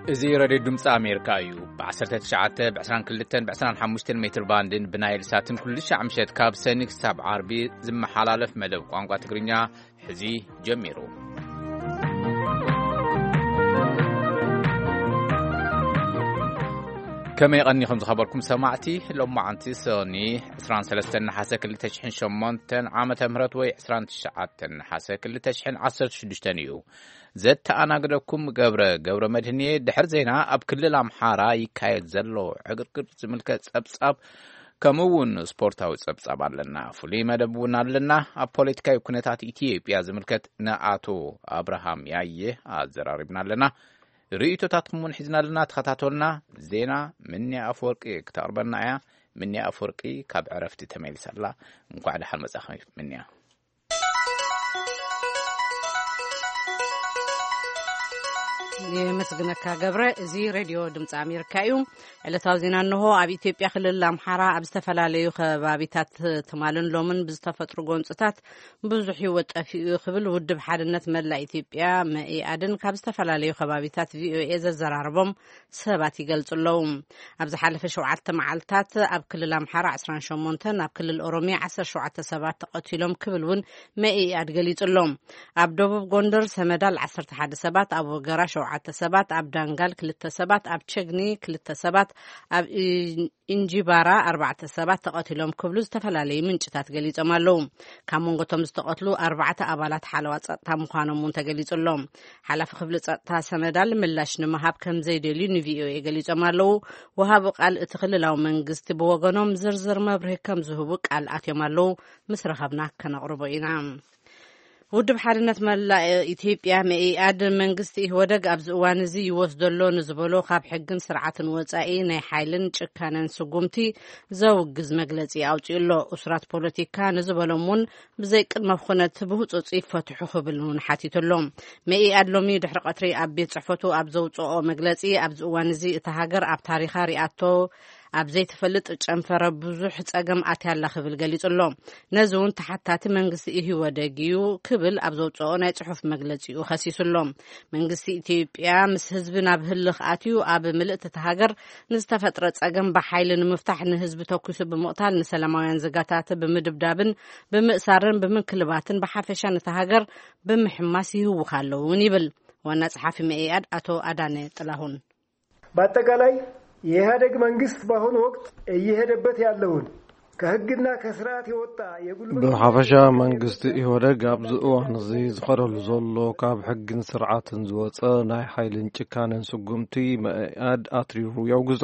እዚ ሬድዮ ድምፂ ኣሜሪካ እዩ። ብ19፣ ብ22፣ ብ25 ሜትር ባንድን ብናይል ሳትን ኩሉ ሻዕ ምሸት ካብ ሰኒ ክሳብ ዓርቢ ዝመሓላለፍ መደብ ቋንቋ ትግርኛ ሕዚ ጀሚሩ። ከመይ ቀኒኹም ዝኸበርኩም ሰማዕቲ? ሎማዓንቲ ሰኒ 23 ነሓሰ 2008 ዓመተ ምህረት ወይ 29 ነሓሰ 2016 እዩ። ዘተኣናግደኩም ገብረ፣ ገብረ መድህን እየ። ድሕሪ ዜና ኣብ ክልል ኣምሓራ ይካየድ ዘሎ ዕግርግር ዝምልከት ጸብጻብ፣ ከምኡ እውን ስፖርታዊ ጸብጻብ ኣለና። ፍሉይ መደብ እውን ኣለና። ኣብ ፖለቲካዊ ኩነታት ኢትዮጵያ ዝምልከት ንኣቶ ኣብርሃም ያየ ኣዘራሪብና ኣለና። ርእይቶታትኩም እውን ሒዝና ኣለና። ተኸታተሉና። ዜና ምንያ ኣፈወርቂ ክተቕርበና እያ። ምንያ ኣፈወርቂ ካብ ዕረፍቲ ተመሊሳ ኣላ። እንኳዕ ደሓን መጻኺ ምንያ። የመስግነካ ገብረ። እዚ ሬድዮ ድምፂ ኣሜሪካ እዩ። ዕለታዊ ዜና እንሆ። ኣብ ኢትዮጵያ ክልል ኣምሓራ ኣብ ዝተፈላለዩ ከባቢታት ትማልን ሎምን ብዝተፈጥሩ ጎንፅታት ብዙሕ ህይወት ጠፊኡ ክብል ውድብ ሓድነት መላእ ኢትዮጵያ መኢኣድን ካብ ዝተፈላለዩ ከባቢታት ቪኦኤ ዘዘራረቦም ሰባት ይገልጹ ኣለዉ። ኣብ ዝሓለፈ ሸውዓተ መዓልታት ኣብ ክልል ኣምሓራ 18፣ ኣብ ክልል ኦሮሚያ 17 ሰባት ተቐቲሎም ክብል እውን መኢኣድ ገሊጹ ኣሎ። ኣብ ደቡብ ጎንደር ሰመዳል 11 ሰባት፣ ኣብ ወገራ ሸውዓተ ሰባት፣ ኣብ ዳንጋል ክልተ ሰባት፣ ኣብ ቸግኒ ክልተ ሰባት፣ ኣብ ኢ- ኢንጂባራ ኣርባዕተ ሰባት ተቐቲሎም ክብሉ ዝተፈላለዩ ምንጭታት ገሊጾም ኣለዉ። ካብ መንጎ እቶም ዝተቐትሉ ኣርባዕተ ኣባላት ሓለዋ ጸጥታ ምዃኖም እውን ተገሊጹ ኣሎ። ሓላፊ ክፍሊ ጸጥታ ሰመዳል ምላሽ ንምሃብ ከም ዘይደልዩ ንቪኦኤ ገሊጾም ኣለዉ። ወሃቢ ቃል እቲ ክልላዊ መንግስቲ ብወገኖም ዝርዝር መብርሂ ከም ዝህቡ ቃል ኣትዮም ኣለዉ። ምስ ረኸብና ከነቕርቦ ኢና። ውድብ ሓድነት መላእ ኢትዮጵያ መኢኣድ መንግስቲ ኢህወደግ ኣብዚ እዋን እዚ ይወስዶ ኣሎ ንዝበሎ ካብ ሕግን ስርዓትን ወጻኢ ናይ ሓይልን ጭካነን ስጉምቲ ዘውግዝ መግለጺ ኣውጺኡ ኣሎ። እሱራት ፖለቲካ ንዝበሎም እውን ብዘይ ቅድመ ኩነት ብህጹጽ ይፈትሑ ክብል እውን ሓቲቱ ኣሎ። መኢኣድ ሎሚ ድሕሪ ቀትሪ ኣብ ቤት ጽሕፈቱ ኣብ ዘውጽኦ መግለጺ ኣብዚ እዋን እዚ እታ ሃገር ኣብ ታሪኻ ሪኣቶ ኣብ ዘይትፈልጥ ጨንፈረ ብዙሕ ጸገም ኣትያ ኣላ ክብል ገሊጹ ኣሎ። ነዚ እውን ተሓታቲ መንግስቲ ኢህወደግ እዩ ክብል ኣብ ዘውጽኦ ናይ ጽሑፍ መግለጺኡ ከሲሱ ኣሎ። መንግስቲ ኢትዮጵያ ምስ ህዝቢ ናብ ህልኽ ኣትዩ ኣብ ምልእቲ እታ ሃገር ንዝተፈጥረ ጸገም ብሓይሊ ንምፍታሕ ንህዝቢ ተኩሱ ብምቕታል ንሰላማውያን ዜጋታት ብምድብዳብን ብምእሳርን ብምንክልባትን ብሓፈሻ ነታ ሃገር ብምሕማስ ይህውኽ ኣለዉ እውን ይብል ዋና ጸሓፊ መኢኣድ ኣቶ ኣዳነ ጥላሁን። በአጠቃላይ የኢህአደግ መንግስት በአሁኑ ወቅት እየሄደበት ያለውን ከህግና ከስርዓት የወጣ የጉልበት ብሓፈሻ መንግስቲ ኢህወደግ ኣብዚ እዋን እዚ ዝኸደሉ ዘሎ ካብ ሕግን ስርዓትን ዝወፀ ናይ ሓይልን ጭካነን ስጉምቲ መኢኣድ ኣትሪሩ የውግዞ።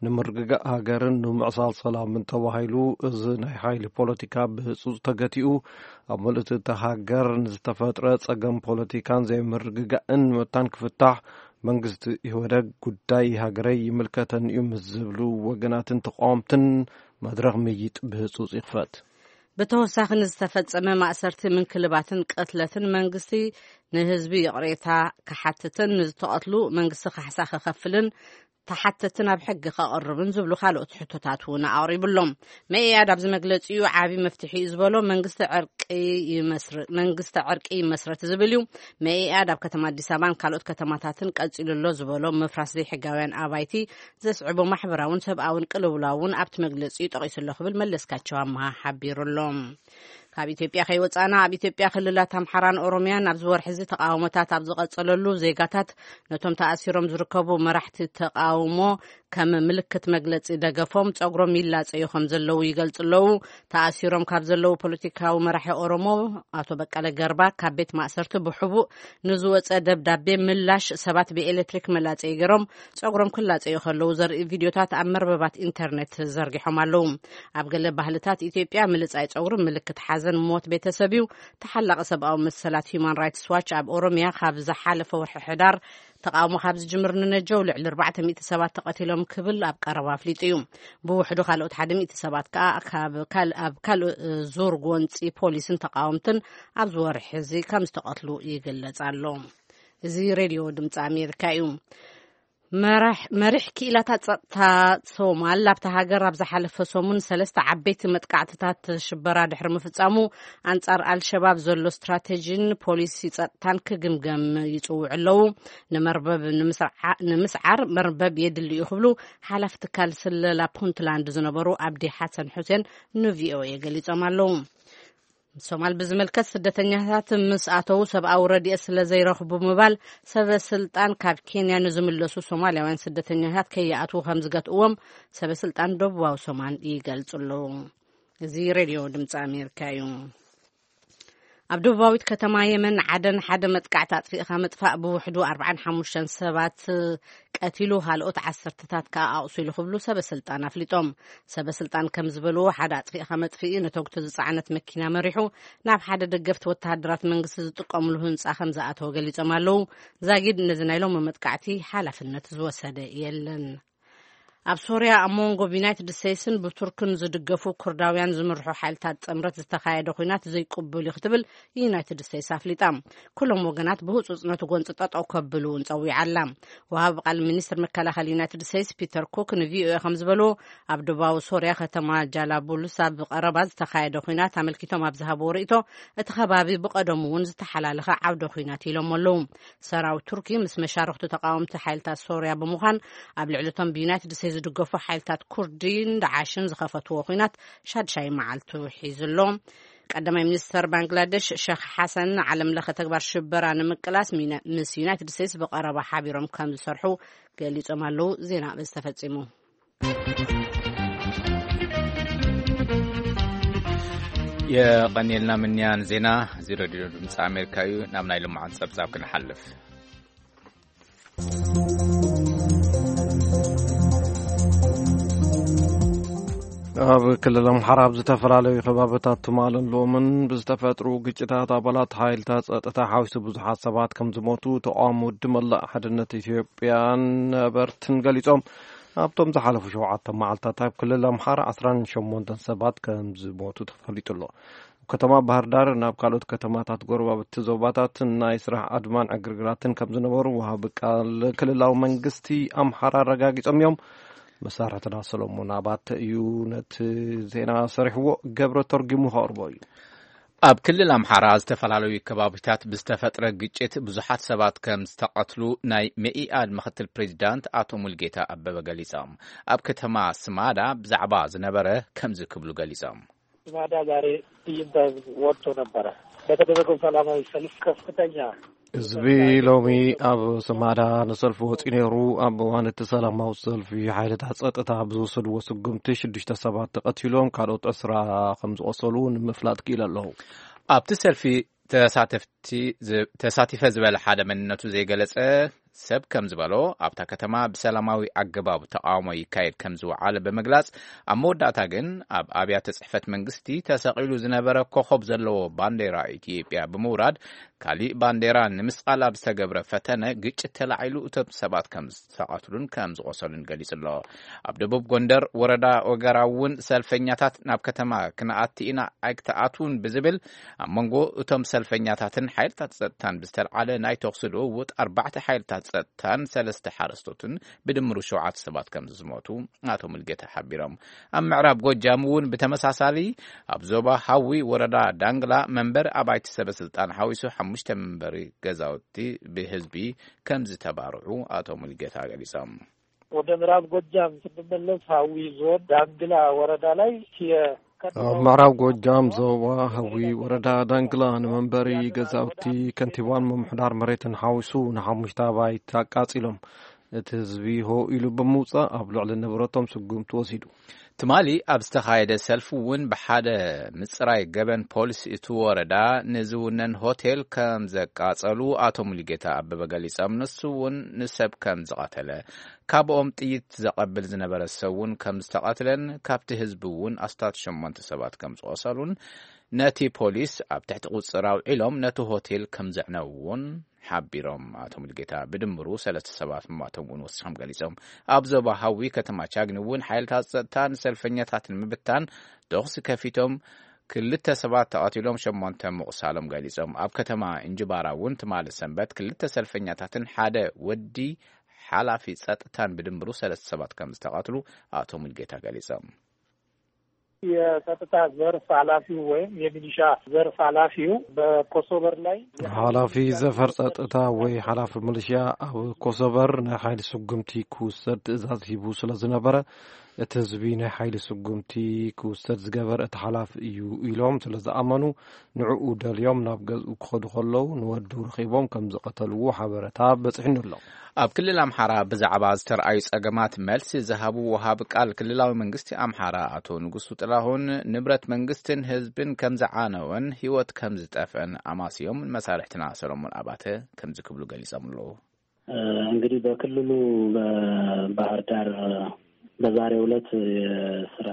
ንምርግጋእ ሃገርን ንምዕሳል ሰላምን ተባሂሉ እዚ ናይ ሓይሊ ፖለቲካ ብህፁፅ ተገቲኡ ኣብ ምልእቲ እታ ሃገር ንዝተፈጥረ ፀገም ፖለቲካን ዘይምርግጋእን መታን ክፍታሕ መንግስቲ ኢህወደግ ጉዳይ ሃገረይ ይምልከተኒ እዩ ምስ ዝብሉ ወገናትን ተቃወምትን መድረኽ ምይይጥ ብህፁፅ ይኽፈት። ብተወሳኺ ንዝተፈጸመ ማእሰርቲ ምንክልባትን ቅትለትን መንግስቲ ንህዝቢ ይቕሬታ ክሓትትን ንዝተቐትሉ መንግስቲ ካሕሳ ክኸፍልን ተሓተቲ ናብ ሕጊ ከቕርብን ዝብሉ ካልኦት ሕቶታት እውን ኣቕሪቡ ኣሎ። መኢኣድ ኣብዚ መግለጺኡ ዓቢ መፍትሒ እዩ ዝበሎ መንግስቲ ዕርቂ ይመስር- መንግስቲ ዕርቂ ይመስረት ዝብል እዩ። መኢኣድ ኣብ ከተማ ኣዲስ ኣበባን ካልኦት ከተማታትን ቀጺሉ ኣሎ ዝበሎ ምፍራስ ዘይሕጋውያን ኣባይቲ ዘስዕቦ ማሕበራውን ሰብኣውን ቅልውላውን ኣብቲ መግለጺኡ ጠቒሱ ኣሎ ክብል መለስካቸው ኣምሃ ሓቢሩ ኣሎ። ካብ ኢትዮጵያ ከይወጻና ኣብ ኢትዮጵያ ክልላት ኣምሓራን ኦሮሚያን ኣብዚ ወርሒ እዚ ተቃውሞታት ኣብ ዝቐጸለሉ ዜጋታት ነቶም ተኣሲሮም ዝርከቡ መራሕቲ ተቃውሞ ከም ምልክት መግለጺ ደገፎም ጸጉሮም ይላጸዩ ከም ዘለዉ ይገልጹ ኣለዉ። ተኣሲሮም ካብ ዘለዉ ፖለቲካዊ መራሒ ኦሮሞ ኣቶ በቀለ ገርባ ካብ ቤት ማእሰርቲ ብሕቡእ ንዝወጸ ደብዳቤ ምላሽ ሰባት ብኤሌክትሪክ መላጸይ ገይሮም ጸጉሮም ክላጸዩ ከለዉ ዘርኢ ቪድዮታት ኣብ መርበባት ኢንተርኔት ዘርጊሖም ኣለዉ። ኣብ ገለ ባህልታት ኢትዮጵያ ምልጻይ ጸጉሪ ምልክት ሓዘን ሞት ቤተሰብ እዩ። ተሓላቒ ሰብኣዊ መሰላት ሂዩማን ራይትስ ዋች ኣብ ኦሮሚያ ካብ ዝሓለፈ ወርሒ ሕዳር ተቃውሞ ካብ ዝጅምር ንነጀው ልዕሊ ኣርባዕተ ሚእቲ ሰባት ተቐቲሎም ክብል ኣብ ቀረባ ኣፍሊጡ እዩ። ብውሕዱ ካልኦት ሓደ ሚእቲ ሰባት ከኣ ካብ ካል- ኣብ ካልእ ዙር ጎንጺ ፖሊስን ተቃወምትን ኣብዚ ወርሒ እዚ ከም ዝተቐትሉ ይግለጽ ኣሎ። እዚ ሬድዮ ድምፂ ኣሜሪካ እዩ። መራሕ-፣ መሪሕ ክኢላታት ጸጥታ ሶማል ኣብታ ሃገር ኣብ ዝሓለፈ ሰሙን ሰለስተ ዓበይቲ መጥቃዕትታት ሽበራ ድሕሪ ምፍጻሙ፣ ኣንጻር ኣልሸባብ ዘሎ ስትራቴጂን ፖሊሲ ጸጥታን ክግምገም ይጽውዑ ኣለዉ። ንመርበብ ንምስርዓ-፣ ንምስዓር መርበብ የድሊ እዩ ክብሉ ሓላፊ ትካል ስለላ ፑንትላንድ ዝነበሩ ኣብዲ ሓሰን ሑሴን ንቪኦኤ ገሊጾም ኣለዉ። ሶማል ብዝምልከት፣ ስደተኛታት ምስ ኣተዉ ሰብኣዊ ረድኤት ስለ ዘይረኽቡ ምባል፣ ሰበ ስልጣን ካብ ኬንያ ንዝምለሱ ሶማልያውያን ስደተኛታት ከይኣትዉ ከም ዝገትእዎም ሰበ ስልጣን ደቡባዊ ሶማል ይገልጹ ኣለዉ። እዚ ሬድዮ ድምፂ ኣሜሪካ እዩ። ኣብ ደቡባዊት ከተማ የመን ዓደን ሓደ መጥቃዕቲ ኣጥፊእኻ ምጥፋእ ብውሕዱ ኣርባዓን ሓሙሽተን ሰባት ቀቲሉ፣ ካልኦት ዓሰርተታት ከኣ ኣቑሲሉ ክብሉ ሰበ ስልጣን ኣፍሊጦም። ሰበ ስልጣን ከም ዝበልዎ፣ ሓደ ኣጥፊእኻ መጥፍኢ ነተጉቲ ዝጸዓነት መኪና መሪሑ ናብ ሓደ ደገፍቲ ወተሃደራት መንግስቲ ዝጥቀምሉ ህንጻ ከም ዝኣተወ ገሊጾም ኣለዉ። ዛጊድ ነዚ ናይ ሎሚ መጥቃዕቲ ሓላፍነት ዝወሰደ የለን። ኣብ ሶርያ ኣብ መንጎ ብዩናይትድ ስቴትስን ብቱርክን ዝድገፉ ኩርዳውያን ዝምርሑ ሓይልታት ጥምረት ዝተኻየደ ኲናት ዘይቅቡል እዩ ክትብል ዩናይትድ ስቴትስ ኣፍሊጣ። ኩሎም ወገናት ብህጹጽ ነቲ ጎንጺ ጠጠው ከብሉ እውን ጸዊዓ ኣላ። ወሃቢ ቃል ሚኒስትር መከላኸሊ ዩናይትድ ስቴትስ ፒተር ኩክ ንቪኦኤ ከም ዝበልዎ፣ ኣብ ደቡባዊ ሶርያ ከተማ ጃላቡልስ ኣብ ቀረባ ዝተኻየደ ኲናት ኣመልኪቶም ኣብ ዝሃብዎ ርእይቶ፣ እቲ ከባቢ ብቐደሙ እውን ዝተሓላለኸ ዓውደ ኲናት ኢሎም ኣለዉ። ሰራዊት ቱርኪ ምስ መሻርኽቱ ተቃወምቲ ሓይልታት ሶርያ ብምዃን፣ ኣብ ልዕሊ እቶም ብዩናይትድ ስቴትስ ዝድገፉ ሓይልታት ኩርዲን ዳዓሽን ዝኸፈትዎ ኲናት ሻድሻይ መዓልቱ ሒዙ ኣሎ። ቀዳማይ ሚኒስተር ባንግላደሽ ሸኽ ሓሰን ንዓለም ለኸ ተግባር ሽበራ ንምቅላስ ሚና-፣ ምስ ዩናይትድ ስቴትስ ብቐረባ ሓቢሮም ከም ዝሰርሑ ገሊጾም ኣለዉ። ዜና በዚ ተፈጺሙ። የቐንየልና ምንያን ዜና። እዚ ሬድዮ ድምፂ ኣሜሪካ እዩ። ናብ ናይ ልምዓት ጸብጻብ ክንሓልፍ። ኣብ ክልል ኣምሓራ ኣብ ዝተፈላለዩ ከባብታት ትማልን ሎምን ብዝተፈጥሩ ግጭታት ኣባላት ሓይልታት ጸጥታ ሓዊሱ ብዙሓት ሰባት ከም ዝሞቱ ተቃውሞ ውድብ መላእ ሓድነት ኢትዮጵያን ነበርትን ገሊጾም። ኣብቶም ዝሓለፉ ሸውዓተ መዓልታት ኣብ ክልል ኣምሓራ ዓስራን ሸሞንተን ሰባት ከም ዝሞቱ ተፈሊጡ ኣሎ። ኣብ ከተማ ባህር ዳር ናብ ካልኦት ከተማታት ጎረባብቲ ዞባታት ናይ ስራሕ ኣድማን ዕግርግራትን ከም ዝነበሩ ወሃቢ ቃል ክልላዊ መንግስቲ ኣምሓራ ኣረጋጊጾም እዮም። መሳርሕትና ሰሎሞን ኣባተ እዩ ነቲ ዜና ሰሪሕዎ፣ ገብረ ተርጉሙ ከቕርቦ እዩ። ኣብ ክልል ኣምሓራ ዝተፈላለዩ ከባቢታት ብዝተፈጥረ ግጭት ብዙሓት ሰባት ከም ዝተቐትሉ ናይ መኢኣድ ምክትል ፕሬዚዳንት ኣቶ ሙልጌታ ኣበበ ገሊጾም። ኣብ ከተማ ስማዳ ብዛዕባ ዝነበረ ከምዚ ክብሉ ገሊጾም። ስማዳ ዛሬ ትዕይንተ ህዝብ ወጥቶ ነበረ። በተደረገው ሰላማዊ ሰልፍ ከፍተኛ ህዝቢ ሎሚ ኣብ ስማዳ ንሰልፊ ወጺኡ ነይሩ። ኣብ እዋን እቲ ሰላማዊ ሰልፊ ሓይልታት ጸጥታ ብዝወሰድዎ ስጉምቲ ሽዱሽተ ሰባት ተቐቲሎም፣ ካልኦት ዕስራ ከም ዝቖሰሉ ንምፍላጥ ክኢሉ ኣለዉ። ኣብቲ ሰልፊ ተሳተፍቲ ዝ-፣ ተሳቲፈ ዝበለ ሓደ መንነቱ ዘይገለጸ ሰብ ከም ዝበሎ፣ ኣብታ ከተማ ብሰላማዊ ኣገባብ ተቃውሞ ይካየድ ከም ዝወዓለ ብምግላጽ፣ ኣብ መወዳእታ ግን ኣብ ኣብያተ ጽሕፈት መንግስቲ ተሰቒሉ ዝነበረ ኮኾብ ዘለዎ ባንዴራ ኢትዮጵያ ብምውራድ፣ ካሊእ ባንዴራ ንምስቓል ኣብ ዝተገብረ ፈተነ ግጭት ተላዒሉ እቶም ሰባት ከም ዝተቐትሉን ከም ዝቖሰሉን ገሊጹ ኣሎ። ኣብ ደቡብ ጎንደር ወረዳ ወገራ እውን ሰልፈኛታት ናብ ከተማ ክንኣቲ ኢና ኣይክትኣትውን ብዝብል ኣብ መንጎ እቶም ሰልፈኛታትን ሓይልታት ጸጥታን ብዝተልዓለ ናይ ተኹሲ ልውውጥ ኣርባዕተ ሓይልታት ጸጥታን ሰለስተ ሓረስቶትን ብድምሩ ሸውዓተ ሰባት ከም ዝሞቱ ኣቶ ሙልጌታ ሓቢሮም። ኣብ ምዕራብ ጎጃም እውን ብተመሳሳሊ ኣብ ዞባ ሃዊ ወረዳ ዳንግላ መንበሪ ኣባይቲ ሰበ ስልጣን ሓዊሱ ሓሙሽተ መንበሪ ገዛውቲ ብህዝቢ ከም ዝተባርዑ ኣቶ ሙልጌታ ገሊጾም። ወደ ምዕራብ ጎጃም ስንመለስ፣ ሀዊ ዞን ዳንግላ ወረዳ ላይ የ-፣ ኣብ ምዕራብ ጎጃም ዞባ ሀዊ ወረዳ ዳንግላ ንመንበሪ ገዛውቲ ከንቲባን ምምሕዳር መሬትን ሓዊሱ ንሓሙሽተ ኣባይቲ ኣቃጺሎም። እቲ ህዝቢ ሆ ኢሉ ብምውጻእ ኣብ ልዕሊ ንብረቶም ስጉምቲ ወሲዱ። ትማሊ ኣብ ዝተኻየደ ሰልፊ እውን ብሓደ ምጽራይ ገበን ፖሊስ እቲ ወረዳ ንዝውነን ሆቴል ከም ዘቃጸሉ ኣቶ ሙሉጌታ ኣበበ ገሊጾም። ንሱ እውን ንሰብ ከም ዝቐተለ፣ ካብኦም ጥይት ዘቐብል ዝነበረ ሰብ እውን ከም ዝተቐትለን ካብቲ ህዝቢ እውን ኣስታት ሸሞንተ ሰባት ከም ዝቖሰሉን ነቲ ፖሊስ ኣብ ትሕቲ ቁጽጽር ኣውዒሎም ነቲ ሆቴል ከም ዘዕነውዎ እውን ሓቢሮም። ኣቶ ሙሉጌታ ብድምሩ ሰለስተ ሰባት ምሟቶም እውን ወሲኾም ገሊጾም። ኣብ ዞባ ሃዊ ከተማ ቻግኒ እውን ሓይልታት ጸጥታ ንሰልፈኛታት ንምብታን ተኹሲ ከፊቶም ክልተ ሰባት ተቐቲሎም ሸሞንተ ምቑሳሎም ገሊጾም። ኣብ ከተማ እንጅባራ እውን ትማሊ ሰንበት ክልተ ሰልፈኛታትን ሓደ ወዲ ሓላፊ ጸጥታን ብድምሩ ሰለስተ ሰባት ከም ዝተቐትሉ ኣቶ ሙልጌታ ገሊጾም። የጸጥታ ዘርፍ ኃላፊው ወይም የሚሊሻ ዘርፍ ኃላፊው በኮሶበር ላይ ኃላፊ ዘፈር ጸጥታ ወይ ኃላፊ ሚሊሻ ኣብ ኮሶበር ናይ ሓይሊ ስጉምቲ ክውሰድ ትእዛዝ ሂቡ ስለ ዝነበረ፣ እቲ ህዝቢ ናይ ሓይሊ ስጉምቲ ክውሰድ ዝገበር እቲ ሓላፊ እዩ ኢሎም ስለ ዝኣመኑ፣ ንዕኡ ደልዮም ናብ ገዝኡ ክኸዱ ከለዉ ንወዱ ረኺቦም ከም ዝቐተልዎ ሓበረታ በጺሑኒ ኣሎ። ኣብ ክልል ኣምሓራ ብዛዕባ ዝተርኣዩ ጸገማት መልሲ ዝሃቡ ወሃቢ ቃል ክልላዊ መንግስቲ ኣምሓራ ኣቶ ንጉሱ ጥላሁን፣ ንብረት መንግስትን ህዝብን ከም ዝዓነወን ህይወት ከም ዝጠፍአን ኣማስዮም፣ መሳርሕትና ሰሎሞን ኣባተ ከምዚ ክብሉ ገሊጾም ኣለዉ። እ፣ እንግዲህ በክልሉ በባህር ዳር በዛሬው ዕለት የስራ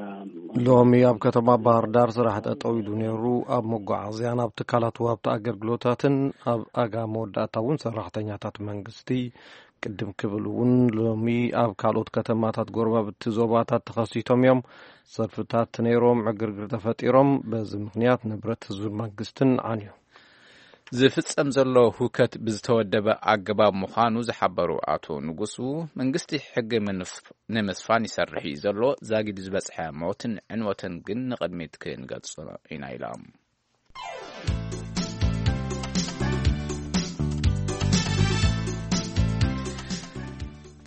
ሎሚ ኣብ ከተማ ባህር ዳር ስራሕ ጠጠው ኢሉ ነይሩ። ኣብ መጓዓዝያን ኣብ ትካላት ወሃብቲ ኣገልግሎታትን ኣብ ኣጋ መወዳእታ እውን ሰራሕተኛታት መንግስቲ ቅድም ክብል እውን ሎሚ ኣብ ካልኦት ከተማታት ጎረባብቲ ዞባታት ተኸሲቶም እዮም። ሰልፍታት ነይሮም፣ ዕግርግር ተፈጢሮም። በዚ ምኽንያት ንብረት ህዝቢ መንግስትን ዓንዩ። ዝፍጸም ዘሎ ሁከት ብዝተወደበ ኣገባብ ምዃኑ ዝሓበሩ ኣቶ ንጉሱ፣ መንግስቲ ሕጊ ምንፍ-፣ ንምስፋን ይሰርሕ እዩ ዘሎ፣ ዛጊድ ዝበጽሐ ሞትን ዕንወትን ግን ንቕድሚት ክንገልጾ ኢና ኢሎም።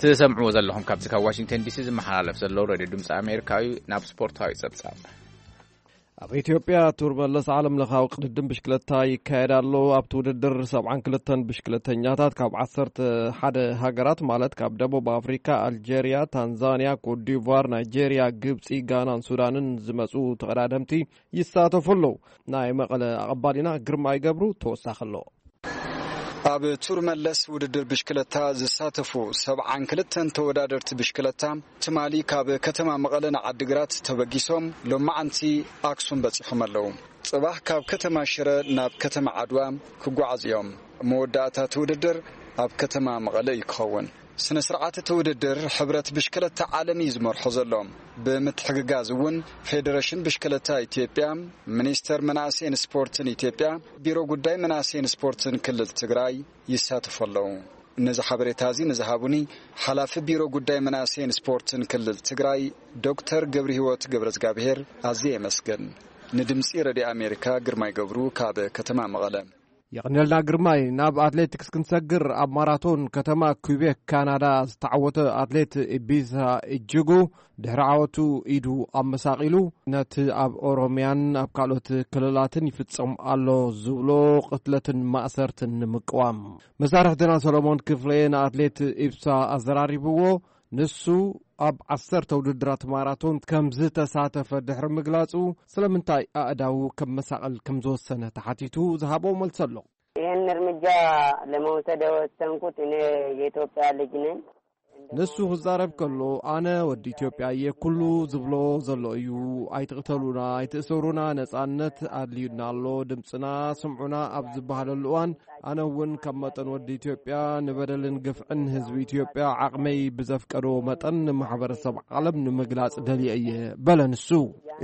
ትሰምዕዎ ዘለኹም ካብዚ ካብ ዋሽንግተን ዲሲ ዝመሓላለፍ ዘሎ ሬድዮ ድምፂ ኣሜሪካ እዩ። ናብ ስፖርታዊ ጸብጻብ። ኣብ ኢትዮጵያ ቱር መለስ ዓለም ለኻዊ ቅድድም ብሽክለታ ይካየድ ኣሎ። ኣብቲ ውድድር ሰብዓን ክልተን ብሽክለተኛታት ካብ ዓሰርተ ሓደ ሃገራት፣ ማለት ካብ ደቡብ ኣፍሪካ፣ ኣልጀርያ፣ ታንዛንያ፣ ኮትዲቯር፣ ናይጄርያ፣ ግብፂ፣ ጋናን ሱዳንን ዝመፁ ተቐዳደምቲ ይሳተፉ ኣለዉ። ናይ መቐለ ኣቐባሊና ግርማይ ገብሩ ተወሳኺ ኣሎ። ኣብ ቱር መለስ ውድድር ብሽክለታ ዝሳተፉ ሰብዓን ክልተን ተወዳደርቲ ብሽክለታ ትማሊ ካብ ከተማ መቐለ ንዓዲግራት ተበጊሶም ሎማዓንቲ ኣክሱም በጺሖም ኣለዉ። ጽባሕ ካብ ከተማ ሽረ ናብ ከተማ ዓድዋ ክጓዓዙ እዮም። መወዳእታ እቲ ውድድር ኣብ ከተማ መቐለ እዩ ክኸውን። ስነ ስርዓት እቲ ውድድር ሕብረት ብሽክለታ ዓለም እዩ ዝመርሖ ዘሎ። ብምትሕግጋዝ እውን ፌዴሬሽን ብሽክለታ ኢትዮጵያ፣ ሚኒስቴር መናእሰይን ስፖርትን ኢትዮጵያ፣ ቢሮ ጉዳይ መናእሰይን ስፖርትን ክልል ትግራይ ይሳተፉ ኣለዉ። ነዚ ሓበሬታ እዚ ንዝሃቡኒ ሓላፊ ቢሮ ጉዳይ መናእሰይን ስፖርትን ክልል ትግራይ ዶክተር ገብረ ህይወት ገብረ እግዚኣብሔር ኣዝየ የመስግን። ንድምፂ ረድዮ ኣሜሪካ ግርማይ ገብሩ ካብ ከተማ መቐለ። የቐንየልና ግርማይ። ናብ ኣትሌቲክስ ክንሰግር፣ ኣብ ማራቶን ከተማ ኩቤክ ካናዳ ዝተዓወተ ኣትሌት ኢቢሳ እጅጉ ድሕሪ ዓወቱ ኢዱ ኣመሳቒሉ፣ ነቲ ኣብ ኦሮምያን ኣብ ካልኦት ክልላትን ይፍጸም ኣሎ ዝብሎ ቅትለትን ማእሰርትን ንምቅዋም። መሳርሕትና ሰሎሞን ክፍሌ ንኣትሌት ኢብሳ ኣዘራሪብዎ። ንሱ ኣብ ዓሰርተ ውድድራት ማራቶን ከም ዝተሳተፈ ድሕሪ ምግላጹ፣ ስለምንታይ ኣእዳዉ ከመሳቕል ከም ዝወሰነ ተሓቲቱ ዝሃቦ መልሲ ኣሎ። ይህን እርምጃ ለመውሰድ የወሰንኩት እኔ የኢትዮጵያ ልጅ ነኝ። ንሱ ክዛረብ ከሎ፣ ኣነ ወዲ ኢትዮጵያ እየ፣ ኩሉ ዝብሎ ዘሎ እዩ፣ ኣይትቕተሉና፣ ኣይትእሰሩና፣ ነጻነት ኣድልዩና ኣሎ፣ ድምፅና ስምዑና ኣብ ዝበሃለሉ እዋን፣ ኣነ እውን ከም መጠን ወዲ ኢትዮጵያ ንበደልን ግፍዕን ህዝቢ ኢትዮጵያ ዓቕመይ ብዘፍቀዶ መጠን ንማሕበረሰብ ዓለም ንምግላጽ ደልየ እየ በለ ንሱ።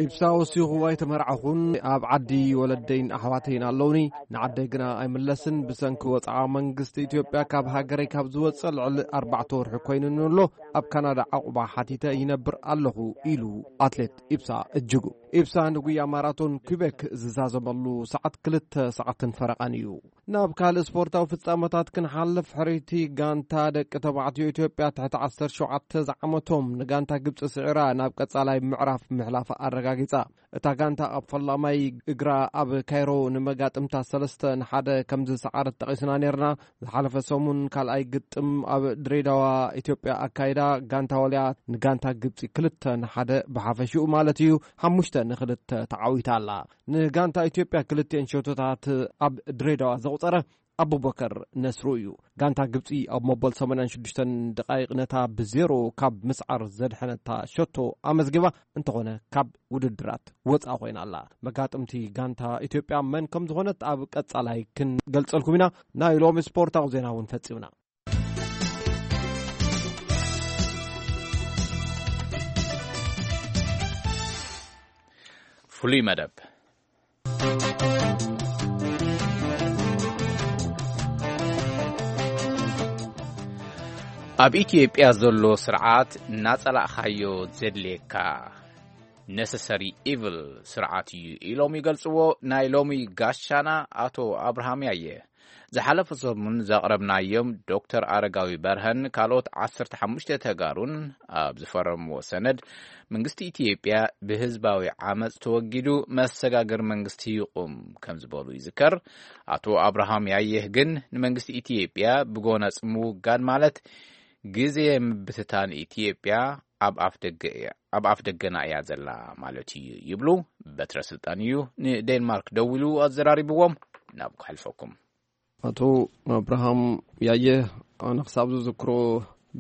ኢብሳ ወሲኹ፣ ኣይተመርዓኹን፣ ኣብ ዓዲ ወለደይን ኣሕዋተይን ኣለውኒ። ንዓደይ ግና ኣይምለስን። ብሰንኪ ወጽዓ መንግስቲ ኢትዮጵያ ካብ ሃገረይ ካብ ዝወጽእ ልዕሊ ኣርባዕተ ወርሒ ኮይኑኒ ኣሎ። ኣብ ካናዳ ዓቑባ ሓቲተ ይነብር ኣለኹ ኢሉ ኣትሌት ኢብሳ እጅጉ። ኢብሳ ንጉያ ማራቶን ኩቤክ ዝዛዘመሉ ሰዓት ክልተ ሰዓትን ፈረቓን እዩ። ናብ ካልእ ስፖርታዊ ፍጻመታት ክንሓልፍ፣ ሕርይቲ ጋንታ ደቂ ተባዕትዮ ኢትዮጵያ ትሕቲ ዓሰርተ ሸውዓተ ዝዓመቶም ንጋንታ ግብጺ ስዒራ ናብ ቀጻላይ ምዕራፍ ምሕላፋ ኣረጋጊጻ። እታ ጋንታ ኣብ ፈላማይ እግራ ኣብ ካይሮ ንመጋጥምታ ሰለስተ ንሓደ ከም ዝሰዓረት ጠቒስና ነርና። ዝሓለፈ ሰሙን ካልኣይ ግጥም ኣብ ድሬዳዋ ኢትዮጵያ ኣካይዳ፣ ጋንታ ዋልያ ንጋንታ ግብጺ ክልተ ንሓደ ብሓፈሽኡ ማለት እዩ፣ ሓሙሽተ ንክልተ ተዓዊታ ኣላ። ንጋንታ ኢትዮጵያ ክልቲኤን ሸቶታት ኣብ ድሬዳዋ ዘቑጸረ ኣቡበከር ነስሩ እዩ። ጋንታ ግብጺ ኣብ መበል ሰማንያን ሽዱሽተን ደቓይቕ ነታ ብዜሮ ካብ ምስዓር ዘድሐነታ ሸቶ ኣመዝጊባ፣ እንተኾነ ካብ ውድድራት ወጻ ኮይና ኣላ። መጋጥምቲ ጋንታ ኢትዮጵያ መን ከም ዝኾነት ኣብ ቀጻላይ ክንገልጸልኩም ኢና። ናይ ሎሚ ስፖርታዊ ዜና እውን ፈጺምና። ፍሉይ መደብ። ኣብ ኢትዮጵያ ዘሎ ስርዓት እናጸላእኻዮ ዘድልየካ ነሰሰሪ ኢቭል ስርዓት እዩ ኢሎም ይገልጽዎ ናይ ሎሚ ጋሻና ኣቶ ኣብርሃም ያየ። ዝሓለፈ ሰሙን ዘቕረብናዮም ዶክተር ኣረጋዊ በርሀን ካልኦት ዓሰርተ ሓሙሽተ ተጋሩን ኣብ ዝፈረምዎ ሰነድ፣ መንግስቲ ኢትዮጵያ ብህዝባዊ ዓመጽ ተወጊዱ መሰጋገሪ መንግስቲ ይቑም ከም ዝበሉ ይዝከር። ኣቶ ኣብርሃም ያየህ ግን ንመንግስቲ ኢትዮጵያ ብጎነጽ ምውጋድ ማለት ግዜ ምብትታን ኢትዮጵያ ኣብ ኣፍ ደገ እያ፣ ኣብ ኣፍ ደገና እያ ዘላ ማለት እዩ ይብሉ። በትረ ስልጣን እዩ ንዴንማርክ ደዊሉ ኣዘራሪብዎም። ናብ ክሕልፈኩም። ኣቶ ኣብርሃም ያየህ፣ ኣነ ክሳብ ዝዝክሮ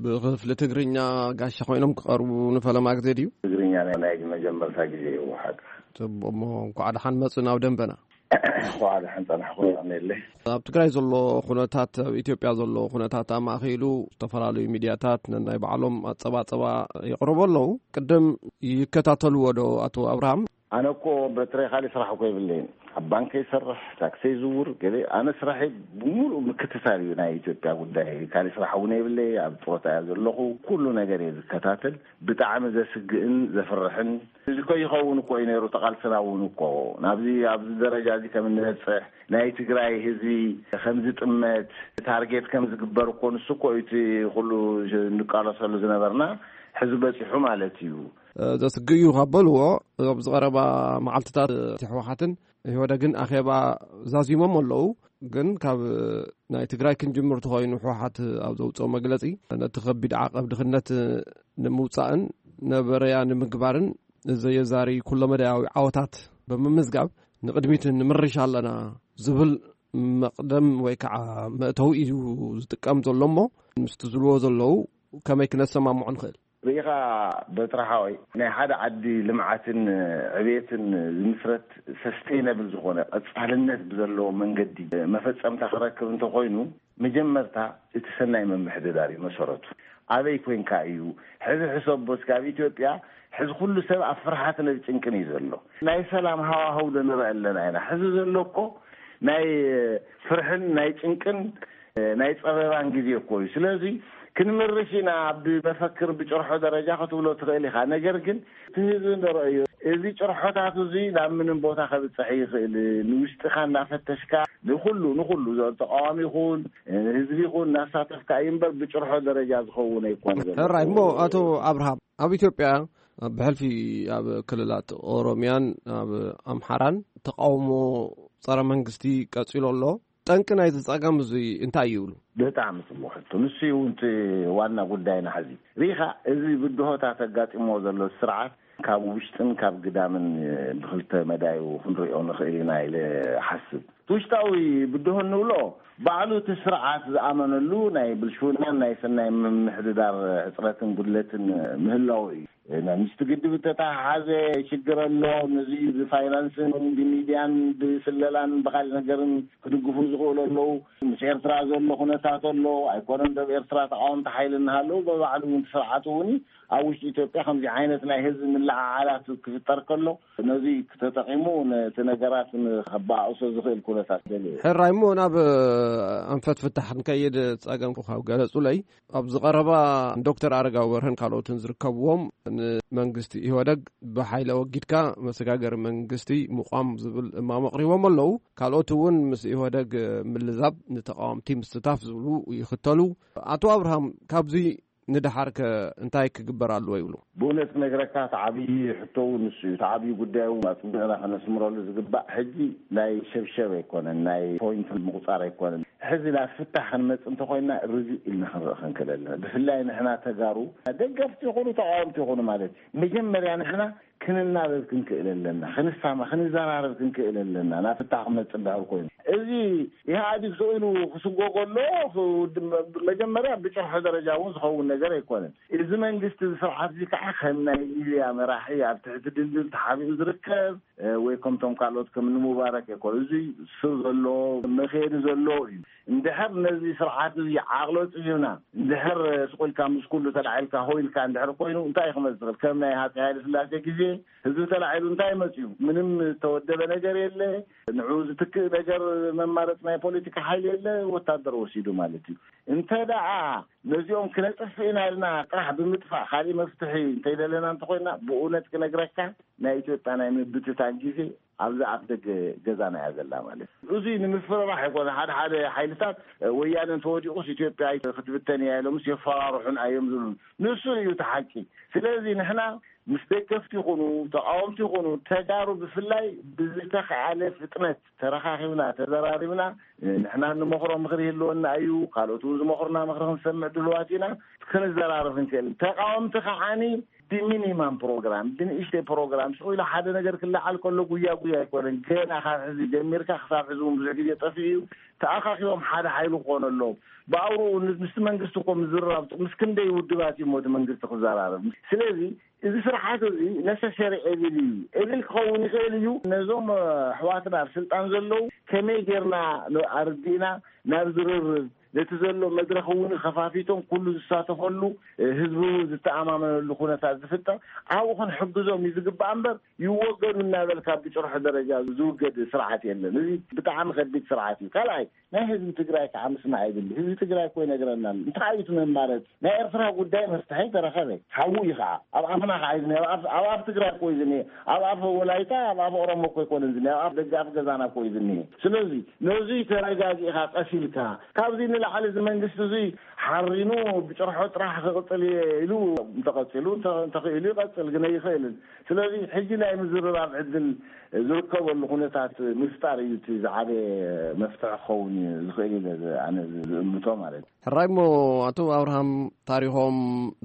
ብክፍሊ ትግርኛ ጋሻ ኮይኖም ክቐርቡ ንፈለማ ግዜ ድዩ? ትግርኛ ናይ መጀመርታ ግዜ እዩ ሓቂ። ጽቡቕ እሞ፣ እንኳዕ ደሓን መጹ ናብ ደንበና። እንኳዕ ደሓን ጸናሕኩም። ኣሜለይ። ኣብ ትግራይ ዘሎ ኩነታት፣ ኣብ ኢትዮጵያ ዘሎ ኩነታት ኣማእኪሉ ዝተፈላለዩ ሚድያታት ነናይ ባዕሎም ኣጸባጸባ የቕርቡ ኣለዉ። ቅድም ይከታተልዎ ዶ ኣቶ ኣብርሃም? ኣነ እኮ በትረይ ካልእ ስራሕ እኮ የብለይን። ኣብ ባንክ ይሰርሕ፣ ታክሲ ይዝውር፣ ገለ ኣነ ስራሐይ ብምሉእ ምክትታል እዩ ናይ ኢትዮጵያ ጉዳይ። ካልእ ስራሕ እውን የብለይ፣ ኣብ ጡረታ እየ ዘለኹ። ኩሉ ነገር እየ ዝከታተል። ብጣዕሚ ዘስግእን ዘፍርሕን እዚ እኮ ይኸውን እኮ እዩ ነይሩ። ተቓልስና እውን እኮ ናብዚ ኣብዚ ደረጃ እዚ ከም እንበፅሕ ናይ ትግራይ ህዝቢ ከም ዝጥመት ታርጌት ከም ዝግበር እኮ ንሱ እኮ እዩ እቲ ኩሉ እንቃለሰሉ ዝነበርና። ሕዚ በፂሑ ማለት እዩ። ዘስግእ እዩ ካብ በልዎ፣ ኣብዚ ቀረባ መዓልትታት ህወሓትን ኢህወደግን ኣኼባ ዛዚሞም ኣለዉ። ግን ካብ ናይ ትግራይ ክንጅምር ተኾይኑ፣ ህወሓት ኣብ ዘውፅኦ መግለፂ፣ ነቲ ከቢድ ዓቐብ ድኽነት ንምውፃእን ነበረያ ንምግባርን ዘየዛሪ ኩለመዳያዊ ዓወታት ብምምዝጋብ ንቕድሚት ንምርሽ ኣለና ዝብል መቕደም ወይ ከዓ መእተዊ እዩ ዝጥቀም ዘሎ እሞ፣ ምስቲ ዝብልዎ ዘለዉ ከመይ ክነሰማምዖ ንኽእል? ርኢኻ በትረ ሓወይ፣ ናይ ሓደ ዓዲ ልምዓትን ዕቤትን ዝምስረት ሰስቴይነብል ዝኾነ ቀጻልነት ብዘለዎ መንገዲ መፈጸምታ ክረክብ እንተኾይኑ፣ መጀመርታ እቲ ሰናይ ምምሕድዳር እዩ መሰረቱ። ኣበይ ኮይንካ እዩ? ሕዚ ሕሰቦ እስኪ፣ ኣብ ኢትዮጵያ ሕዚ ኩሉ ሰብ ኣብ ፍርሓትን ኣብ ጭንቅን እዩ ዘሎ። ናይ ሰላም ሃዋህው ዶ ንርኢ ኣለና ኢና? ሕዚ ዘሎ እኮ ናይ ፍርሕን ናይ ጭንቅን ናይ ጸበባን ግዜ እኮ እዩ። ስለዚ ክንምርሽ ኢና፣ ብመፈክር ብጭርሖ ደረጃ ክትብሎ ትኽእል ኢኻ። ነገር ግን እቲ ህዝቢ ንረእዮ፣ እዚ ጭርሖታት እዚ ናብ ምንም ቦታ ከብጽሕ ይኽእል። ንውሽጥኻ እናፈተሽካ ንኹሉ፣ ንኹሉ ተቃዋሚ ይኹን ህዝቢ ይኹን እናሳተፍካ እዩ እምበር ብጭርሖ ደረጃ ዝኸውን ኣይኮን ዘሎ። ሕራይ እሞ ኣቶ ኣብርሃም፣ ኣብ ኢትዮጵያ ብሕልፊ ኣብ ክልላት ኦሮሚያን ኣብ ኣምሓራን ተቃውሞ ጸረ መንግስቲ ቀጺሉ ኣሎ። ጠንቂ ናይዚ ጸገም እዚ እንታይ እዩ ይብሉ? ብጣዕሚ ጽቡቕ ሕቶ። ንሱ እዩ እውን እቲ ዋና ጉዳይና ሕዚ። ርኢኻ፣ እዚ ብድሆታት ኣጋጢምዎ ዘሎ ስርዓት ካብ ውሽጥን ካብ ግዳምን ብኽልተ መዳዩ ክንሪኦ ንኽእል ኢና ኢለ እሓስብ። እቲ ውሽጣዊ ብድሆ እንብሎ ባዕሉ እቲ ስርዓት ዝኣመነሉ ናይ ብልሽውናን ናይ ሰናይ ምምሕድዳር ሕጽረትን ጉድለትን ምህላው እዩ። ምስቲ ግድብ እተተሓሓዘ ሽግር ኣሎ። ነዚ ብፋይናንስን ብሚድያን ብስለላን ብኻልእ ነገርን ክድግፉ ዝኽእሉ ኣለዉ። ምስ ኤርትራ ዘሎ ኩነታት ኣሎ። ኣይኮነን ዶብ ኤርትራ ተቃወምቲ ሓይሊ እናሃለዉ፣ ብባዕሉ እውን እቲ ስርዓት እውን ኣብ ውሽጢ ኢትዮጵያ ከምዚ ዓይነት ናይ ህዝቢ ምልዕዓላት ክፍጠር ከሎ፣ ነዚ ተጠቂሙ ነቲ ነገራት ንከበኣእሶ ዝኽእል ኩነታት ደልዩ። ሕራይ እሞ ናብ ኣንፈት ፍታሕ ንከይድ ጸገም ካብ ገለጹለይ፣ ኣብዚ ቀረባ ዶክተር ኣረጋዊ በርሀን ካልኦትን ዝርከብዎም፣ ንመንግስቲ ኢህወደግ ብሓይሊ ኣወጊድካ መሰጋገሪ መንግስቲ ምቋም ዝብል እማም ኣቕሪቦም ኣለዉ። ካልኦት እውን ምስ ኢህወደግ ምልዛብ፣ ንተቃወምቲ ምስታፍ ዝብሉ ይኽተሉ። ኣቶ ኣብርሃም፣ ካብዚ ንደሓርከ እንታይ ክግበር ኣለዎ ይብሉ? ብእውነት ክነግረካ፣ እቲ ዓብዪ ሕቶ እውን ንሱ እዩ። እቲ ዓብዪ ጉዳይ እውን ኣጽቢቕና ከነስምረሉ ዝግባእ፣ ሕጂ ናይ ሸብሸብ ኣይኮነን፣ ናይ ፖይንት ምቁጻር ኣይኮነን። ሕዚ ናብ ፍታሕ ክንመጽእ እንተኾይንና ርግእ ኢልና ክንርኢ ክንክእል ኣለና። ብፍላይ ንሕና ተጋሩ፣ ደገፍቲ ይኹኑ ተቃወምቲ ይኹኑ ማለት እዩ፣ መጀመርያ ንሕና ክንናበብ ክንክእል ኣለና፣ ክንሳማ፣ ክንዘራረብ ክንክእል ኣለና፣ ናብ ፍታሕ ክመጽእ እንድሕር ኮይኑ። እዚ ኢህኣዲግ ስኢኑ ክስጎጎ ኣሎ፣ መጀመርያ ብጭርሖ ደረጃ እውን ዝኸውን ነገር ኣይኮነን። እዚ መንግስቲ፣ እዚ ስርዓት እዚ ከዓ ከም ናይ ሊብያ መራሒ ኣብ ትሕቲ ድልድል ተሓቢኡ ዝርከብ፣ እ፣ ወይ ከምቶም ካልኦት ከም ንሙባረክ ኣይኮነ። እዚ ስር ዘሎ፣ መኸየዲ ዘሎ እዩ። እንድሕር ነዚ ስርዓት እዚ ዓቕሎ ጽዩና፣ እንድሕር ስቕ ኢልካ ምስ ኩሉ ተላዒልካ ሆ ኢልካ እንድሕር ኮይኑ፣ እንታይ እዩ ክመጽእ ዝኽእል? ከም ናይ ሃፀይ ሃይለ ስላሴ ግዜ ህዝቢ ተላዒሉ እንታይ መጽዩ? ምንም ዝተወደበ ነገር የለ። ንዕኡ ዝትክእ ነገር መማረፂ ናይ ፖለቲካ ሓይሊ የለ፣ ወታደር ወሲዱ ማለት እዩ። እንተ ደኣ ነዚኦም ክነጥፍእ ኢና ኢልና ጥራሕ ብምጥፋእ ካሊእ መፍትሒ እንተይደለና እንተኮይና፣ ብእውነት ክነግረካ ናይ ኢትዮጵያ ናይ ምብትታን ግዜ ኣብዚ ኣፍ ደገ ገዛና እያ ዘላ ማለት እዩ። እዙይ ንምፍርራሕ ኣይኮነ። ሓደ ሓደ ሓይልታት ወያነ እንተወዲቑስ ኢትዮጵያ ክትብተን እያ ኢሎምስ የፈራርሑን እዮም ዝብሉ። ንሱ እዩ እቲ ሓቂ። ስለዚ ንሕና ምስ ደገፍቲ ይኹኑ ተቃወምቲ ይኹኑ ተጋሩ ብፍላይ ብዝተኸኣለ ፍጥነት ተረኻኺብና ተዘራሪብና ንሕና እንመኽሮ ምኽሪ ይህልወና እዩ። ካልኦት እውን ዝመኽሩና ምኽሪ ክንሰምዕ ድልዋት ኢና። ክንዘራረብ እንክእል። ተቃወምቲ ከዓኒ ብሚኒማም ፕሮግራም ብንእሽተይ ፕሮግራም ስቕ ኢሉ ሓደ ነገር ክለዓል ከሎ ጉያ ጉያ ኣይኮነን። ገና ካብ ሕዚ ጀሚርካ ክሳብ ሕዚ እውን ብዙሕ ግዜ ጠፊኡ እዩ። ተኣኻኺቦም ሓደ ሓይሊ ክኾኑ ኣለዎም። ብኣውርኡ ምስ መንግስቲ እኮ ምዝርራብ ምስ ክንደይ ውድባት እዩ እቲ መንግስቲ ክዘራረብ። ስለዚ እዚ ስርዓት እዚ ነሰሰሪ ኤቪል እዩ። ኤቪል ክኸውን ይኽእል እዩ። ነዞም ኣሕዋትና ኣብ ስልጣን ዘለዉ ከመይ ጌርና ኣርዲእና ናብ ዝርርብ ነቲ ዘሎ መድረኽ እውን ከፋፊቶም ኩሉ ዝሳተፈሉ ህዝቢ እውን ዝተኣማመነሉ ኩነታት ዝፍጠር ኣብኡ ክንሕግዞም እዩ ዝግባእ እምበር ይወገዱ እናበልካ ብጭርሖ ደረጃ ዝውገድ ስርዓት የለን። እዚ ብጣዕሚ ከቢድ ስርዓት እዩ። ካልኣይ ናይ ህዝቢ ትግራይ ከዓ ምስማዕ የድሊ። ህዝቢ ትግራይ እኮ ይነግረና ኣሎ። እንታይ እዩ እቲ መማረፂ? ናይ ኤርትራ ጉዳይ መፍትሒ ተረኸበ። ሓዉ እዩ ከዓ። ኣብ ኣፍና ከዓ እዩ ዝኒሀ። ኣብ ኣፍ፣ ኣብ ኣፍ ትግራይ እኮ እዩ ዝኒሀ። ኣብ ኣፍ ወላይታ፣ ኣብ ኣፍ ኦሮሞ እኮ ኣይኮነን ዝኒሀ። ኣብ ኣፍ ደገ ኣፍ ገዛና እኮ እዩ ዝኒሀ። ስለዚ ነዚ ተረጋጊእካ ቀስ ኢልካ ካብዚ ንላዕሊ እዚ መንግስቲ እዚ ሓሪኑ ብጭርሖ ጥራሕ ክቕፅል እየ ኢሉ እንተቐፂሉ እንተ-፣ እንተኽኢሉ ይቐፅል፣ ግን ኣይኽእልን። ስለዚ ሕጂ ናይ ምዝርራብ ዕድል ዝርከበሉ ኩነታት ምፍጣር እዩ እቲ ዝዓበየ መፍትሒ ክኸውን እዩ ዝኽእል ኢለ ዝ-፣ ኣነ ዝ-፣ ዝእምቶ ማለት እዩ። ሕራይ እሞ ኣቶ ኣብርሃም ታሪኾም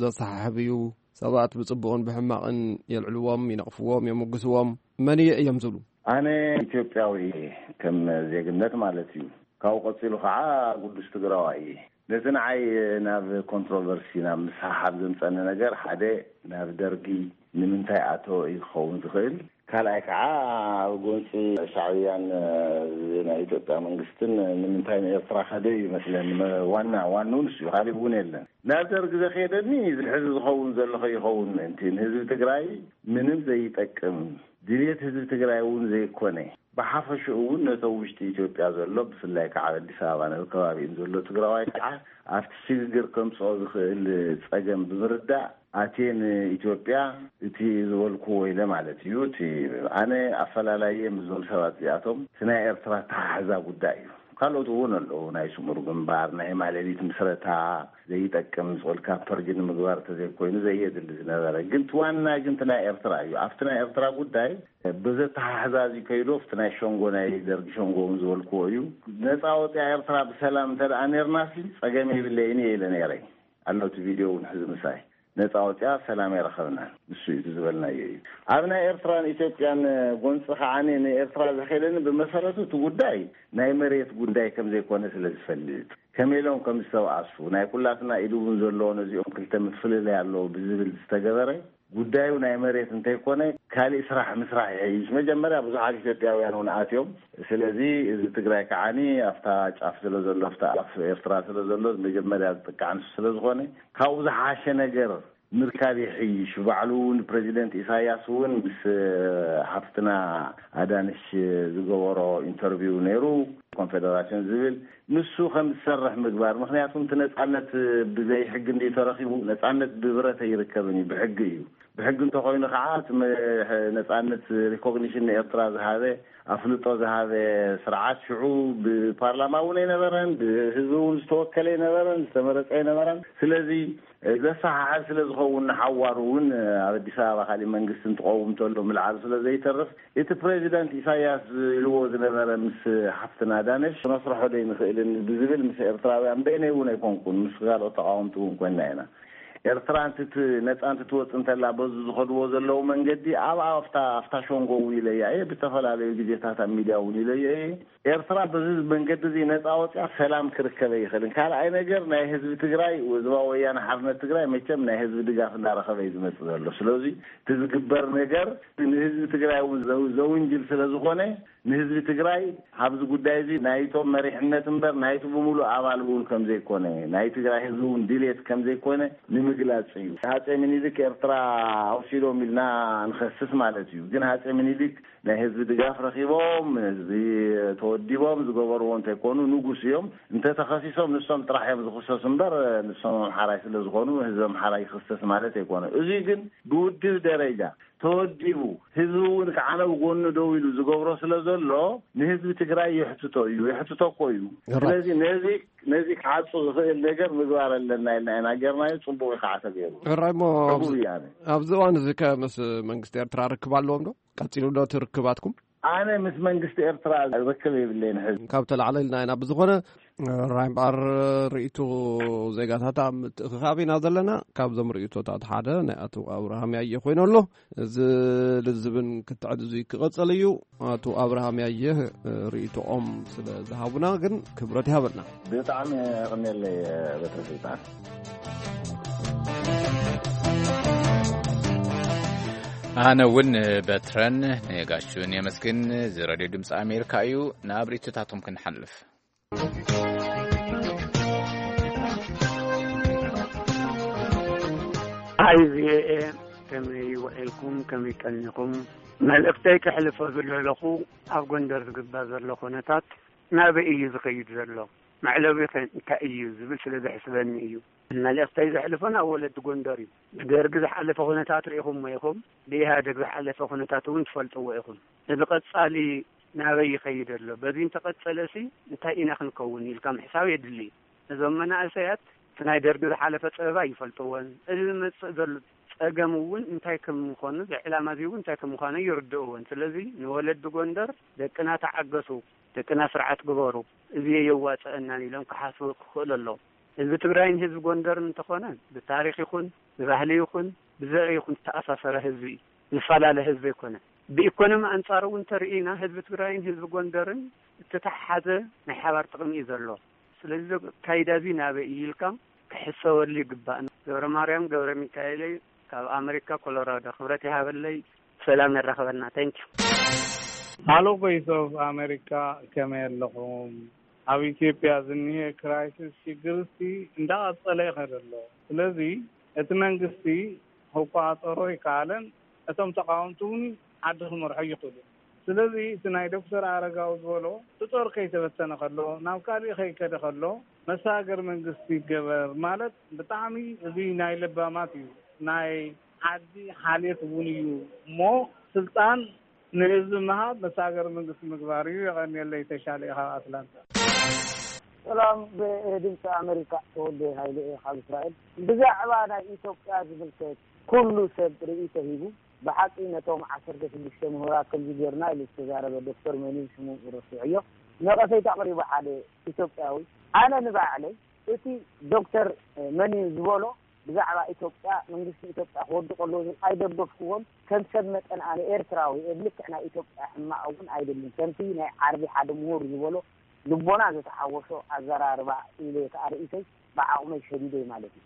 ዘሰሓሕብ እዩ። ሰባት ብጽቡቕን ብሕማቕን የልዕልዎም፣ ይነቕፍዎም፣ የሞግስዎም። መን እየ እዮም ዝብሉ? ኣነ ኢትዮጵያዊ እየ ከም ዜግነት ማለት እዩ። ካብኡ ቀጺሉ ከዓ ቅዱስ ትግራዋይ እየ። ነቲ ንዓይ ናብ ኮንትሮቨርሲ፣ ናብ ምስሕሓብ ዘምጸኒ ነገር ሓደ ናብ ደርጊ ንምንታይ ኣተወ እዩ ክኸውን ዝኽእል። ካልኣይ ከዓ ኣብ ጎንፂ ሻዕብያን ናይ ኢትዮጵያ መንግስትን ንምንታይ ንኤርትራ ከደ እዩ ይመስለኒ። መ-፣ ዋና ዋንኡ ንሱ እዩ፣ ካሊእ እውን የለን። ናብ ደርጊ ዘኸየደኒ እዚ ሕዚ ዝኸውን ዘሎ ከይኸውን ምእንቲ ንህዝቢ ትግራይ ምንም ዘይጠቅም ድልየት ህዝቢ ትግራይ እውን ዘይኮነ ብሓፈሽኡ እውን ነቶም ውሽጢ ኢትዮጵያ ዘሎ ብፍላይ ከዓ ኣብ ኣዲስ ኣበባ ነብ ከባቢኡን ዘሎ ትግራዋይ ከዓ ኣብቲ ሽግግር ከምፅኦ ዝኽእል ፀገም ብምርዳእ ኣትየ ንኢትዮጵያ እቲ ዝበልኩዎ ኢለ ማለት እዩ። እቲ ኣነ ኣፈላላየ ምስዞም ሰባት እዚኣቶም እቲ ናይ ኤርትራ ኣተሓሕዛ ጉዳይ እዩ። ካልኦት እውን ኣለዉ፣ ናይ ስሙር ግንባር፣ ናይ ማለሊት ምስረታ ዘይጠቅም ዝልካ ፐርጅ ንምግባር ተዘይኮይኑ ዘየድሊ ዝነበረ ግን እቲ ዋና ግን እቲ ናይ ኤርትራ እዩ። ኣብቲ ናይ ኤርትራ ጉዳይ ብዘተሓሕዛ እዚ ከይዶ ኣብቲ ናይ ሸንጎ ናይ ደርጊ ሸንጎ እውን ዝበልክዎ እዩ። ነፃ ወፅያ ኤርትራ ብሰላም እንተ ደኣ ነርናሲ ፀገም የብለይን እየ ኢለ ነይረ። ኣሎ እቲ ቪድዮ እውን ሕዚ ምሳይ ነፃ ወፅያ ሰላም የረኸብና ንሱ እዩ ዝበልናዮ እዩ። ኣብ ናይ ኤርትራን ኢትዮጵያን ጎንፂ ከዓ ንኤርትራ ዘኸደኒ ብመሰረቱ እቲ ጉዳይ ናይ መሬት ጉዳይ ከም ዘይኮነ ስለ ዝፈልጥ ከመይ ኢሎም ከም ዝተባኣሱ ናይ ኩላትና ኢድ እውን ዘለዎ ነዚኦም ክልተ ምፍልለይ ኣለዎ ብዝብል ዝተገበረ ጉዳዩ ናይ መሬት እንተይኮነ ካሊእ ስራሕ ምስራሕ ይሕይሽ። መጀመርያ ብዙሓት ኢትዮጵያውያን እውን ኣትዮም። ስለዚ እዚ ትግራይ ከዓኒ ኣብታ ጫፍ ስለ ዘሎ ኣብታ ኣፍ ኤርትራ ስለ ዘሎ መጀመርያ ዝጥቃዕ ንሱ ስለ ዝኾነ ካብኡ ዝሓሸ ነገር ምርካብ ይሕይሽ። ባዕሉ እውን ፕሬዚደንት ኢሳያስ እውን ምስ ሓፍትና ኣዳንሽ ዝገበሮ ኢንተርቪው ነይሩ ኮንፌደራሽን ዝብል ንሱ ከም ዝሰርሕ ምግባር። ምክንያቱ እቲ ነፃነት ብዘይ ሕጊ እንዲ ተረኪቡ ነፃነት ብብረት ኣይርከብን እዩ፣ ብሕጊ እዩ። ብሕጊ እንተኮይኑ ከዓ እቲ መ-፣ ነፃነት ሪኮግኒሽን ንኤርትራ ዝሃበ ኣፍልጦ ዝሃበ ስርዓት ሽዑ ብፓርላማ እውን ኣይነበረን፣ ብህዝቢ እውን ዝተወከለ ኣይነበረን፣ ዝተመረፀ ኣይነበረን። ስለዚ ዘሰሓሕብ ስለ ዝኸውን ንሓዋሩ እውን ኣብ ኣዲስ ኣበባ ካሊእ መንግስቲ እንትቀውም እንተሎ ምልዓሉ ስለ ዘይተርፍ እቲ ፕሬዚዳንት ኢሳያስ ኢልዎ ዝነበረ ምስ ሓፍትና ዳነሽ ክነስርሖ ዶ ይንኽእልን ብዝብል ምስ ኤርትራውያን በይነይ እውን ኣይኮንኩን ምስ ካልኦት ተቃወምቲ እውን ኮይና ኢና። ኤርትራ እንትት ነፃ እንትትወፅ እንተላ በዚ ዝኸድዎ ዘለዉ መንገዲ ኣብ ኣብታ ኣብታ ሸንጎ እውን ኢለያ እየ። ብተፈላለዩ ግዜታት ኣብ ሚድያ እውን ኢለዮ እየ። ኤርትራ በዚ መንገዲ እዚ ነፃ ወፅያ ሰላም ክርከብ ኣይኽእልን። ካልኣይ ነገር ናይ ህዝቢ ትግራይ ህዝባዊ ወያነ ሓርነት ትግራይ መቸም ናይ ህዝቢ ድጋፍ እናረኸበ እዩ ዝመፅእ ዘሎ። ስለዚ እቲ ዝግበር ነገር ንህዝቢ ትግራይ እውን ዘው-፣ ዘውንጅል ስለ ዝኾነ ንህዝቢ ትግራይ ኣብዚ ጉዳይ እዚ ናይቶም መሪሕነት እምበር ናይቲ ብምሉእ ኣባል እውን ከም ዘይኮነ ናይ ትግራይ ህዝቢ እውን ድሌት ከም ዘይኮነ ንምግላፅ እዩ። ሃፀይ ምኒልክ ኤርትራ ኣውሲዶም ኢልና ንኸስስ ማለት እዩ። ግን ሃፀይ ምኒልክ ናይ ህዝቢ ድጋፍ ረኺቦም ህዝቢ ወዲቦም ዝገበርዎ እንተይኮኑ ንጉስ እዮም። እንተተኸሲሶም ንሶም ጥራሕ እዮም ዝኽሰሱ እምበር፣ ንሶም ኣምሓራይ ስለ ዝኾኑ ህዝቢ ኣምሓራይ ይኽሰስ ማለት ኣይኮነ። እዚ ግን ብውድብ ደረጃ ተወዲቡ፣ ህዝቢ እውን ከዓነ ብጎኑ ደው ኢሉ ዝገብሮ ስለ ዘሎ፣ ንህዝቢ ትግራይ የሕትቶ እዩ፣ የሕትቶ እኮ እዩ። Right. ስለዚ ነዚ ነዚ ክዓጹ ዝኽእል ነገር ምግባር ኣለና ኢልና ኢና ጌርናዮ። ጽቡቕ እዩ ከዓ ተገይሩ። ሕራይ እሞ ኣብዚ ሕጉብ እየ ኣነ። ኣብዚ እዋን እዚ ከ ምስ መንግስቲ ኤርትራ ርክብ ኣለዎም ዶ? ቀጺሉ ዶ እቲ ርክባትኩም? ኣነ ምስ መንግስቲ ኤርትራ ርክብ የብለይን ሕዚ። ካብ ተላዕለ ኢልና ኢና። ብዝኾነ፣ ሕራይ እምበኣር፣ ርእይቶ ዜጋታት ኣብ ምትእኽኻብ ኢና ዘለና። ካብዞም ርእይቶታት ሓደ ናይ ኣቶ ኣብርሃም ያየ ኮይኑ ኣሎ። እዚ ልዝብን ክትዕድዙ ክቐጸል እዩ። ኣቶ ኣብርሃም ያየ ርእይቶኦም ስለ ዝሃቡና ግን ክብረት ይሃበልና። ብጣዕሚ የቐንየለይ በትረ ስልጣን። ኣነ እውን በትረን ነጋሹን የመስግን። እዚ ሬድዮ ድምፂ ኣሜሪካ እዩ። ናብ ርእይቶታቶም ክንሓልፍ። ኣይ ቪኦኤ፣ ከመይ ውዒልኩም? ከመይ ቀኒኹም? መልእኽተይ ከሕልፎ ዝደለኹ፣ ኣብ ጎንደር ዝግበር ዘሎ ኩነታት ናበይ እዩ ዝኸይድ ዘሎ? መዕለቢኸ እንታይ እዩ ዝብል ስለ ዘሕስበኒ እዩ። መልእኽተይ ዘሕልፎ ናብ ወለዲ ጎንደር እዩ። ብደርጊ ዝሓለፈ ኩነታት ርኢኹምዎ ኢኹም፣ ብኢህኣደግ ዝሓለፈ ኩነታት እውን ትፈልጥዎ ኢኹም። እዚ ቀጻሊ ናበይ ይኸይድ ኣሎ? በዚ እንተቐጸለሲ እንታይ ኢና ክንከውን ኢልካ ምሕሳብ የድሊ። እዞም መናእሰያት እቲ ናይ ደርጊ ዝሓለፈ ጸበባ ይፈልጥዎን፣ እዚ ዝመጽእ ዘሎ ጸገም እውን እንታይ ከም ምዃኑ፣ ብዕላማ እዚ እውን እንታይ ከም ምዃኑ ይርድእዎን። ስለዚ ንወለዲ ጎንደር፣ ደቅና ተዓገሱ፣ ደቅና ስርዓት ግበሩ፣ እዚ የዋጽአናን ኢሎም ክሓስቡ ክኽእሉ ኣለዎም። ህዝቢ ትግራይን ህዝቢ ጎንደርን እንተኾነ ብታሪኽ ይኹን ብባህሊ ይኹን ብዘርኢ ይኹን ዝተኣሳሰረ ህዝቢ እዩ። ዝፈላለ ህዝቢ ኣይኮነን። ብኢኮኖሚ ኣንጻር እውን እንተርኢና ህዝቢ ትግራይን ህዝቢ ጎንደርን እተተሓሓዘ ናይ ሓባር ጥቕሚ እዩ ዘሎ። ስለዚ እዚ ኣካይዳ እዚ ናበይ እዩ ኢልካ ክሕሰበሉ ይግባእ። ገብረ ማርያም ገብረ ሚካኤለይ ካብ ኣመሪካ ኮሎራዶ። ክብረት ይሃበለይ። ሰላም የራኽበና። Thank you። ሃሎ ቮይስ ኦፍ ኣሜሪካ፣ ከመይ ኣለኹም? ኣብ ኢትዮጵያ ዝኒሀ ክራይሲስ ሽግር እስቲ እንዳቐጸለ ይኸድ ኣሎ። ስለዚ እቲ መንግስቲ ክቋጸሮ ይከኣለን፣ እቶም ተቃወምቲ እውን ዓዲ ክመርሖ ይኽእሉ። ስለዚ እቲ ናይ ዶክተር ኣረጋዊ ዝበሎ እቲ ጦር ከይተበተነ ከሎ፣ ናብ ካሊእ ከይከደ ከሎ መሰጋገሪ መንግስቲ ይገበር ማለት ብጣዕሚ እዚ ናይ ለባማት እዩ። ናይ ዓዲ ሓልዮት እውን እዩ እሞ ስልጣን ንህዝቢ ምሃብ መሰጋገሪ መንግስቲ ምግባር እዩ። የቐንየለይ። ተሻለ ካብ ኣትላንታ። ሰላም ብድምፂ ኣሜሪካ ተወልደ ሃይለ እየ ካብ እስራኤል። ብዛዕባ ናይ ኢትዮጵያ ዝምልከት ኩሉ ሰብ ርእይቶ ሂቡ። ብሓቂ ነቶም ዓሰርተ ሽዱሽተ ምሁራት ከምዚ ጌርና ኢሉ ዝተዛረበ ዶክተር መን እዩ ሽሙ ረሲዐዮ፣ ነቐፌታ ኣቕሪቡ ሓደ ኢትዮጵያዊ። ኣነ ንባዕለይ እቲ ዶክተር መን እዩ ዝበሎ ብዛዕባ ኢትዮጵያ መንግስቲ ኢትዮጵያ ክወድቕ ኣለዎ ዝብል ኣይደገፍክዎን። ከም ሰብ መጠን ኣነ ኤርትራዊ እየ። ብልክዕ ናይ ኢትዮጵያ ሕማቕ እውን ኣይደልን። ከምቲ ናይ ዓርቢ ሓደ ምሁር ዝበሎ ልቦና ዝተሓወሶ ኣዘራርባ ኢለ ከኣ ርእይቶይ ብዓቕመይ ሸዲደ ማለት እዩ።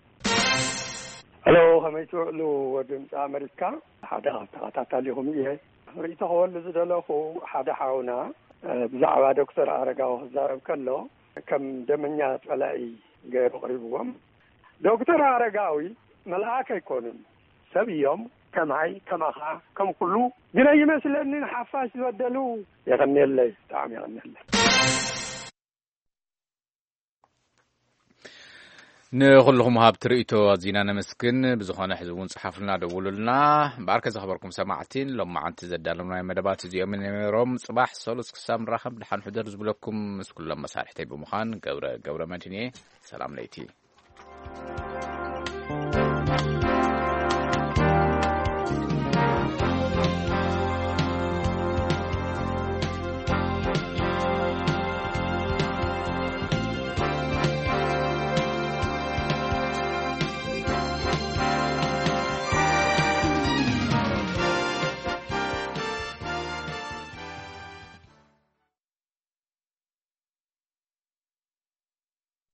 ሄሎ፣ ከመይ ትውዕሉ ወዲ ድምፂ ኣመሪካ? ሓደ ካብ ተኸታታሊኹም እየ። ርእይቶ ክበሉ ዝደለኹ ሓደ ሓውና ብዛዕባ ዶክተር ኣረጋዊ ክዛረብ ከሎ ከም ደመኛ ፀላኢ ገይሩ ኣቕሪብዎም። ዶክተር ኣረጋዊ መልኣክ ኣይኮኑን፣ ሰብ እዮም፣ ከማይ ከማኻ ከም ኩሉ። ግን ኣይመስለንን ሓፋሽ ዝበደሉ። የቐንየለይ፣ ብጣዕሚ የቐንየለይ። ንኹልኹም ሃብቲ ርእይቶ ኣዚና ነመስግን። ብዝኾነ ሕዚ እውን ጸሓፉልና፣ ደውሉልና። እምበኣርከ ዝኸበርኩም ሰማዕቲ፣ ሎማዓንቲ ዘዳለምናዮ መደባት እዚኦም ነይሮም። ጽባሕ ሰሉስ ክሳብ ንራኸብ ደሓን ሕደሩ ዝብለኩም ምስ ኩሎም መሳርሕተይ ብምዃን ገብረ ገብረ መድህን እየ። ሰላም ለይቲ።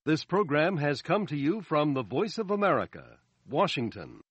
This program has come to you from the Voice of America, Washington.